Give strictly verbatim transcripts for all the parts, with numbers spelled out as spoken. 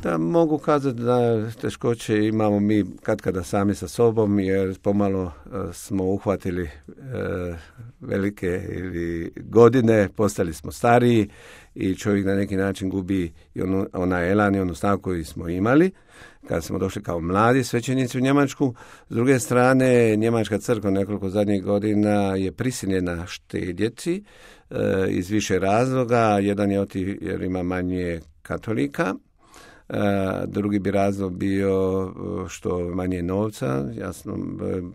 Da, mogu kazati da teškoće imamo mi katkada sami sa sobom, jer pomalo smo uhvatili e, velike ili godine, postali smo stariji i čovjek na neki način gubi i onu, onaj elan i onu snagu koju smo imali kada smo došli kao mladi svećenici u Njemačku. S druge strane, Njemačka crkva nekoliko zadnjih godina je prisiljena štedjeti e, iz više razloga. Jedan je oti jer ima manje katolika. Uh, drugi bi razlog bio što manje novca. Jasno,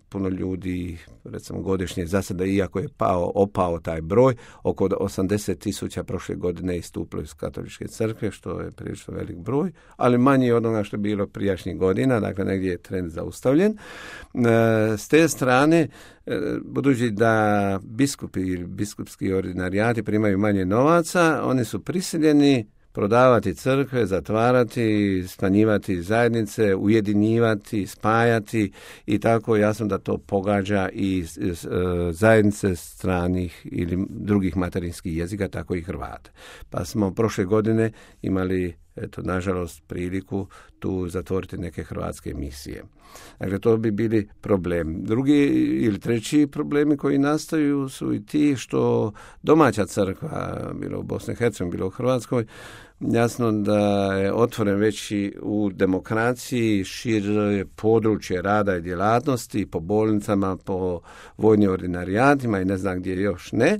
puno ljudi recimo godišnje za sada, iako je pao, opao taj broj, oko osamdeset tisuća prošle godine istupilo iz katoličke crkve, što je prilično velik broj, ali manji od onoga što je bilo prijašnjih godina, dakle negdje je trend zaustavljen. Uh, s te strane, uh, budući da biskupi ili biskupski ordinarijati primaju manje novaca, oni su prisiljeni prodavati crkve, zatvarati, smanjivati zajednice, ujedinjivati, spajati i tako jasno da to pogađa i zajednice stranih ili drugih materinskih jezika, tako i Hrvata. Pa smo prošle godine imali, eto, nažalost, priliku tu zatvoriti neke hrvatske misije. Dakle, to bi bili problem. Drugi ili treći problemi koji nastaju su i ti što domaća crkva, bilo u Bosni i Hercegovini, bilo u Hrvatskoj, jasno da je otvoren već i u demokraciji, šire područje rada i djelatnosti, po bolnicama, po vojnim ordinarijatima i ne znam gdje još ne.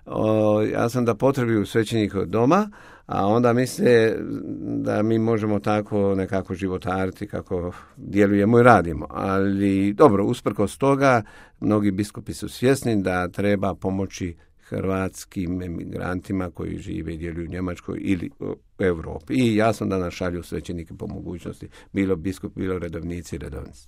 O, ja sam da potrebuju svećenika doma, a onda misle da mi možemo tako nekako životariti kako djelujemo i radimo. Ali dobro, usprkos toga, mnogi biskupi su svjesni da treba pomoći hrvatskim emigrantima koji žive i djeluju u Njemačkoj ili u Europi. I jasno da nas šalju svećenike po mogućnosti, bilo biskup, bilo redovnici i redovnici.